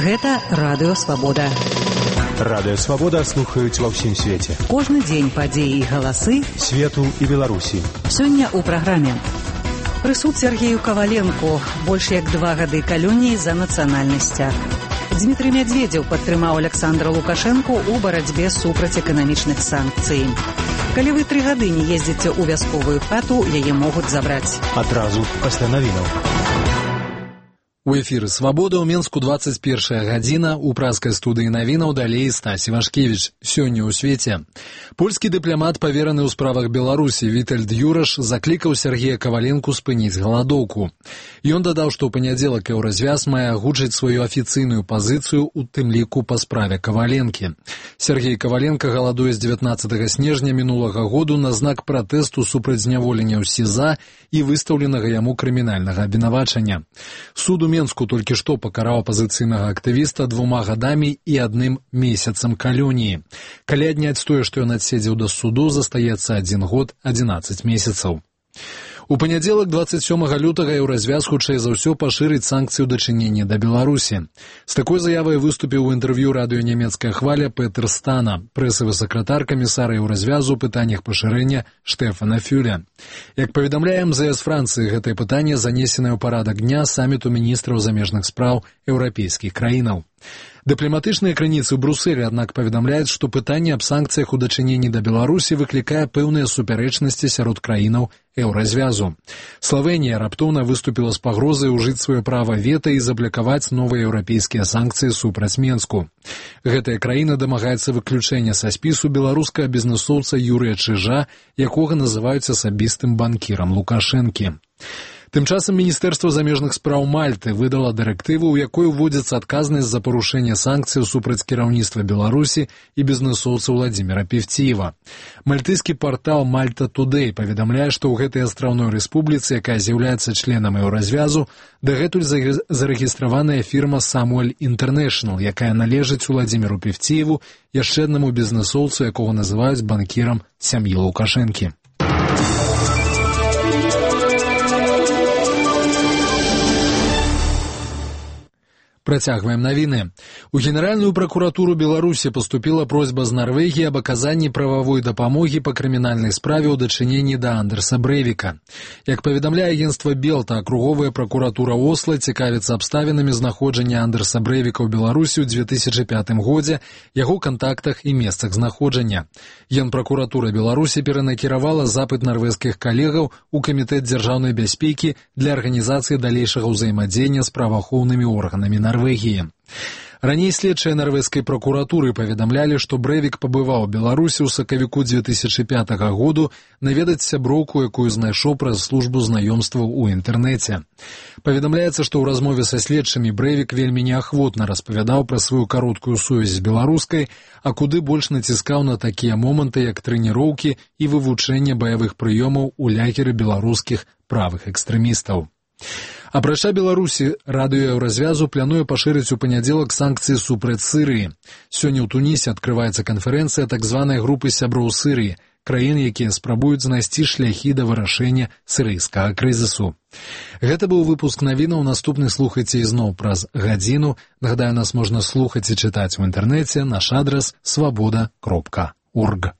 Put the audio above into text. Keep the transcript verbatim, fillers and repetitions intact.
Гэта Радыё Свабода. Радыё Свабода слухаюць ва ўсім свеце. Кожны дзень падзеі і галасы свету і Беларусі. Сёння ў праграме. Прысуд Сергею Каваленку. Больш як два гады калоніі за нацыянальнасцях. Дмітрый Мядзведзеў падтрымаў Александра Лукашэнку ў барацьбе супраць эканамічных санкцый. Калі вы тры гады не ездзіце ў вясковую хату, яе могуць забраць. Адразу пасля навінаў. У эфіры «Свабода» ў Менску двадцать первая гадзіна, у пражскай студыі навінаў далей Стась Івашкевіч. Сёння ў свеце. Польскі дыпламат, павераны ў справах Беларусі, Вітальд Юраш, заклікаў Сергея Каваленку спыніць галадоўку. Ён дадаў, што ў панядзелак еўразвяз мае агучыць сваю афіцыйную пазіцыю, у тым ліку па справе Каваленкі. Сергей Каваленка галадуе з дзевятнаццатага снежня мінулага году на знак пратэсту супраць зняволення ў СІЗА і выстаўленага яму крымінальнага абвінавачання. Суд у Менску толькі што пакараў апазіцыйнага актывіста двума гадамі і адным месяцам калоніі. Калі адняць тое, што ён адседзеў да суду, застаецца адзін год адзінаццаць месяцаў. У панядзелак двадцать сёмага лютага еўразвяз хутчэй за ўсё пашырыць санкцыі ў дачыненні да Беларусі. З такой заявай выступіў у інтэрв'ю радыё «Нямецкая хваля» Петер Стана, прэсавы сакратар камісара еўразвязу ў пытаннях пашырэння Штефана Фюля. Як паведамляе эм зэ эс Францыі, гэтае пытанне занесенае ў парадак дня саміту міністраў замежных спраў еўрапейскіх краінаў. Дыпламатычныя крыніцы ў Брусэлі, аднак, паведамляюць, што пытанне аб санкцыях у дачыненні да Беларусі выклікае пэўныя супярэчнасці сярод краінаў еўразвязу. Славенія раптоўна выступіла з пагрозай ужыць сваё права вета і заблакаваць новыя еўрапейскія санкцыі супраць Менску. Гэтая краіна дамагаецца выключэння са спісу беларускага бізнэсоўца Юрыя Чыжа, якога называюць асабістым банкірам Лукашэнкі. Тым часам Міністэрства замежных спраў Мальты выдала дырэктыву, у якой уводзіцца адказнасць за парушэнне санкцый супраць кіраўніцтва Беларусі і бізнэсоўца Владзіміра Певціева. Мальтыйскі партал Malta Today паведамляе, што ў гэтай астраўной рэспубліцы, якая з'яўляецца членам еўразвязу, дагэтуль зарэгістраваная фірма Samuel International, якая належыць Владзіміру Певціеву, яшчэ аднаму бізнэсоўцу, якога называюць банкірам сям'і Лукашэнкі. Працягваем навіны. У Генеральную пракуратуру Беларусі паступіла просьба з Нарвегіі аб аказанні прававой дапамогі па крымінальнай справе ў дачыненні да Андерса Брэвіка. Як паведамляе агенцтва Белта, акруговая пракуратура Осла цікавіцца абставінамі знаходжання Андерса Брэвіка ў Беларусі ў две тысячы пятым годзе, яго кантактах і месцах знаходжання. Генпракуратура Беларусі перанакіравала запыт нарвежскіх калегаў у Камітэт дзяржаўнай бяспекі для арганізацыі далейшага ўзаемадзеяння з праваахоўнымі органамі Нарвегіі. Норвегии. Раней следчыя нарвежскай пракуратуры паведамлялі, што Брэвік пабываў у Беларусі ў сакавіку две тысячы пятага году наведаць сяброўку, якую знайшоў праз службу знаёмстваў у інтэрнэце. Паведамляецца, што ў размове са следчымі Брэвік вельмі неахвотна распавядаў пра сваю кароткую сувязь з беларускай, а куды больш націскаў на такія моманты, як трэніроўкі і вывучэнне баявых прыёмаў у лагеры беларускіх правых экстрэмістаў. Апрача Беларусі, радыё еўразвязу плануе пашырыць у панядзелак санкцыі супраць Сырыі. Сёння ў Тунісе адкрываецца канферэнцыя так званай групы сяброў Сырыі, краін, якія спрабуюць знайсці шляхі да вырашэння сірыйскага крызісу. Гэта быў выпуск навінаў, наступны слухайце ізноў праз гадзіну. Нагадаю, нас можна слухаць і чытаць у інтэрнэце, наш адрас свабода кропка орг.